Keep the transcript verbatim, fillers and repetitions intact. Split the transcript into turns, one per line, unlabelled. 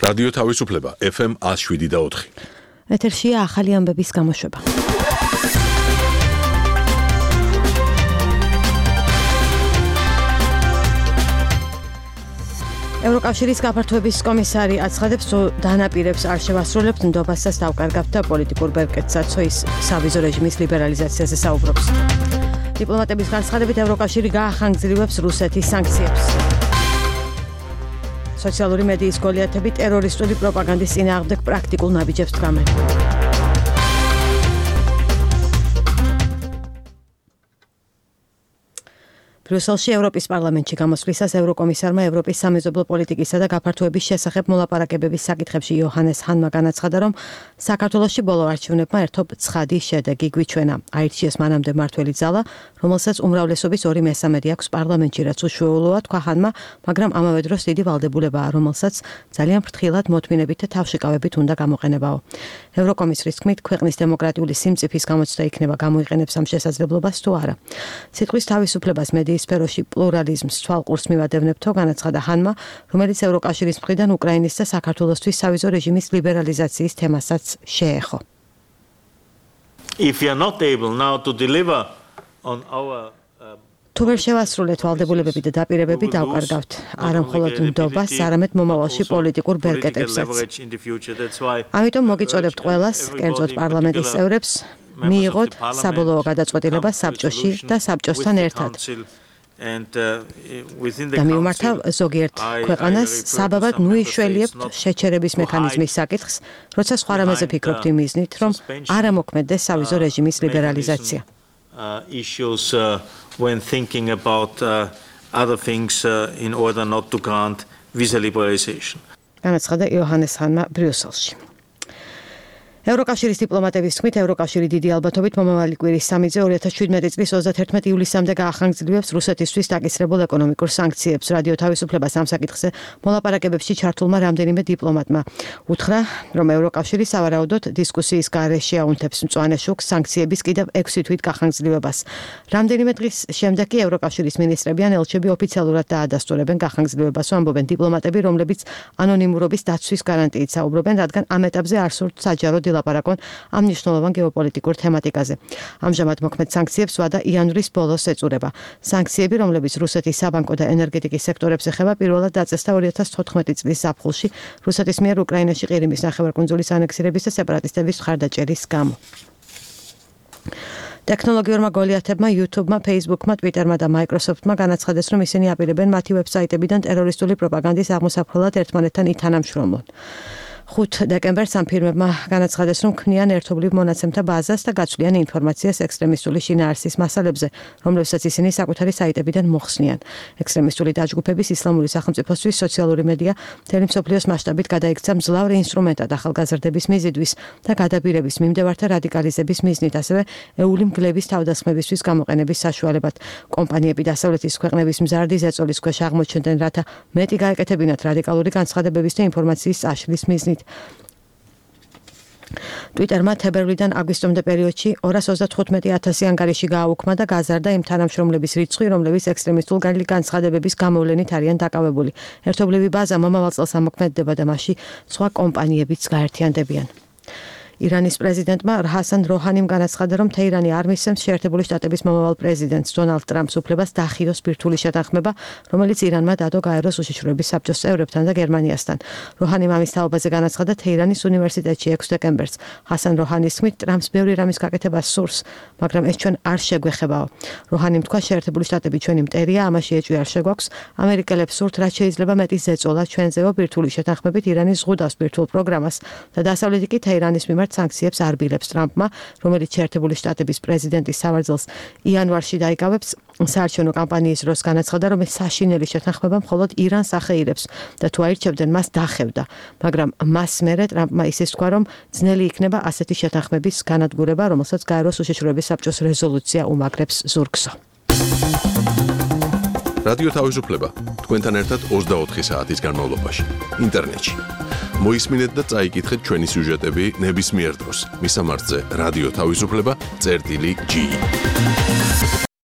რადიო თავისუფლება ეფ ემ one oh seven და four.
ეთერშია ახალი ამბების გამოშვება. ევროკავშირის გაფართოების კომისარი აცხადებს, რომ დანაპირებს არ შევასრულებთ ნდობასაც დავკარგავთ და პოლიტიკურ ბერკეტსაც ის სავიზო რეჟიმის ლიბერალიზაციაზე საუბრობს. დიპლომატების განცხადებით ევროკავშირი გაახანგრძლივებს რუსეთის სანქციებს. სოციალური მედიის გოლიათები ტერორისტული პროპაგანდის წინააღმდეგ პრაქტიკულ ნაბიჯებს დგამენ. ბრიუსელში ევროპის პარლამენტში გამოსვლისას ევროკომისარმა ევროპის სამეზობლო პოლიტიკისა და გაფართოების შესახებ მოლაპარაკებების საკითხებში იოჰანეს ჰანმა განაცხადა, რომ საქართველოში ბოლო არჩევნებმა ერთობ ცხადი შედეგი გვიჩვენა. აირჩიეს მანამდე მმართველი ძალა, რომელსაც უმრავლესობის ორი მესამედი აქვს პარლამენტში, რაც უშუალოა, თქვა ჰანმა, მაგრამ ამავე დროს დიდი ვალდებულებაა, რომელსაც ძალიან ფრთხილად მოთმინებით და თავშეკავებით უნდა გამოყენებაო. ევროკომისრის თქმით, ქვეყნის დემოკრატიული სიმწიფის გამოცდა იქნება გამოიყენებს ამ შესაძლებლობას თუ არა. სიტყვის თავისუფლებას მედიის სფეროში პლურალიზმს თვალყურს მივადევნებთო, განაცხადა ჰანმა, რომელიც ევროკავშირის მხრიდან უკრაინის და საქართველოსთვის სავიზო რეჟიმის ლიბერალიზაციის თემასაც შეეხო.
If you are not able now to deliver on our
თუ ვერ შევასრულეთ ვალდებულებები და დაპირებები, დავკარგავთ არა მხოლოდ ნდობას, არამედ მომავალში პოლიტიკურ ბერკეტებსაც. ამიტომ მოგიწოდებთ ყველას, კერძოდ პარლამენტის წევრებს, მიიღოთ საბოლოო გადაწყვეტილება საბჭოში და საბჭოსთან ერთად. და მიუმართავ ზოგიერთ ქვეყანას საბაბად ნუიშველიებთ შეჩერების მექანიზმის საკითხს, როცა სხვა რამეზე ფიქრობთ იმ მიზნით, რომ არ ამოქმედდეს სავიზო რეჟიმის ლიბერალიზაცია.
issues uh, when thinking about uh, other things uh, in order not to grant visa liberalization.
განაცხადა იოჰანეს ჰანმა ბრიუსელში. ევროკავშირის დიპლომატების თქმით, ევროკავშირი დიდი ალბათობით მომავალი კვირის სამი-ზე ორი ათას შვიდმეტი წლის ოცდათერთმეტი ივლისამდე გაახანგრძლივებს რუსეთისთვის დაკისრებულ ეკონომიკურ სანქციებს. რადიო თავისუფლებას ამ საკითხზე მოლაპარაკებებში ჩართულმა რამდენიმე დიპლომატმა უთხრა, რომ ევროკავშირი სავარაუდოდ დისკუსიის გარეშე აუნთებს მწვანე შუქს სანქციების კიდევ ექვსი თვით გახანგრძლივებას. რამდენიმე დღის შემდეგ კი ევროკავშირის მინისტრები ან ელჩები ოფიციალურად დაადასტურებენ გახანგრძლივებას, ამბობენ დიპლომატები, რომლებიც ანონიმურობის დაცვის გარანტიით საუბრობენ, რადგან ამ ეტაპზე არ სურთ საჯარო ლაპარაკონ ამ მნიშვნელოვან გეოპოლიტიკურ თემატიკაზე. ამჟამად მოქმედ სანქციებს ვადა იანვრის ბოლოს ეწურება. სანქციები, რომლებიც რუსეთის საბანკო და ენერგეტიკის სექტორებს ეხება, პირველად დაწესდა ორი ათას თოთხმეტი წლის ზაფხულში რუსეთის მიერ უკრაინაში ყირიმის ნახევარკუნძულის ანექსირების და სეპარატისტების მხარდაჭერის გამო. ტექნოლოგიურმა გოლიათებმა, YouTube-მა, Facebook-მა, Twitter-მა და Microsoft-მა განაცხადეს, რომ ისინი აპირებენ მათი ვებსაიტებიდან ტერორისტული პროპაგანდის აღმოსაფხვრელად ერთმანეთთან ითანამშრომლონ. ხუთ დეკემბერს ამ ფირმებმა განაცხადეს, რომ ქმნიან ერთობლივ მონაცემთა ბაზას და გაცვლიან ინფორმაციას ექსტრემისტული შინაარსის მასალებზე, რომლებსაც ისინი საკუთარი საიტებიდან მოხსნიან. ექსტრემისტული დაჯგუფების ისლამური სახელმწიფოსთვის სოციალური მედია მთელი მსოფლიოს მასშტაბით გადაიქცა მძლავრი ინსტრუმენტად ახალგაზრდების მიზიდვის და გადაბირების მიმდევართა რადიკალიზების მიზნით, ასევე ეული მგლების თავდასხმებისთვის გამოყენების საშუალებად. კომპანიები დასავლეთის ქვეყნების მზარდი ზეწოლის ქვეშ აღმოჩნდნენ, რათა მეტი გაეკეთებინათ რადიკალური განცხადებების და ინფორმაციის წაშლის მიზნით. Twitter-მა თებერვლიდან აგვისტომდე პერიოდში ორას ოცდათხუთმეტი ათასი ანგარიში გააუქმა და გაზარდა იმ თანამშრომლების რიცხვი, რომლებიც ექსტრემისტულ განცხადებების გამოვლენით არიან დაკავებული. ერთობლივი ბაზა მომავალ წელს ამოქმედდება და მასში სხვა კომპანიებიც გაერთიანდებიან. ირანის პრეზიდენტმა ჰასან როჰანიმ განაცხადა, რომ თეირანი არ მისცემს შეერთებული შტატების მომავალ პრეზიდენტს დონალდ ტრამპს უფლებას დაახიოს ბირთვული შეთანხმება, რომელიც ირანმა დადო გაეროს უშიშროების საბჭოს წევრებთან და გერმანიასთან. როჰანიმ ამის თაობაზე განაცხადა თეირანის უნივერსიტეტში ექვსი დეკემბერს. ჰასან როჰანის თქმით, ტრამპს ბევრი რამის გაკეთებას სურს, მაგრამ ეს ჩვენ არ შეგვეხებაო. როჰანიმ თქვა, შეერთებული შტატები ჩვენი მტერია, ამაში ეჭვი არ შეგვაქვს. ამერიკელებს სურთ, რაც შეიძლება მეტი ზეწოლა ჩვენზეო ბირთვული შეთანხმებით ირანის ზღუდავს ბირთვულ პროგრამას და დასავლეთი კი თეირანის მიმართ სანქციებს არბილებს ტრამპმა, რომელიც შეერთებული შტატების პრეზიდენტის სავარძელს იანვარში დაიკავებს. საარჩევნო კამპანიის დროს განაცხადა, რომ ეს საშინელი შეთანხმება მხოლოდ ირანს ახეირებს და თუ აირჩევდნენ, მას დახევდა. მაგრამ მას მერე ტრამპმა ისე თქვა, რომ ძნელი იქნება ასეთი შეთანხმების განადგურება, რომელსაც გაეროს უშიშროების საბჭოს რეზოლუცია უმაგრებს ზურგსო.
რადიო თავისუფლება თქვენთან ერთად ოცდაოთხი საათის განმავლობაში ინტერნეტში. მოისმინეთ და წაიკითხეთ ჩვენი სიუჟეტები ნებისმიერ დროს. მისამართზე რადიო თავისუფლება წერტილი ჯი.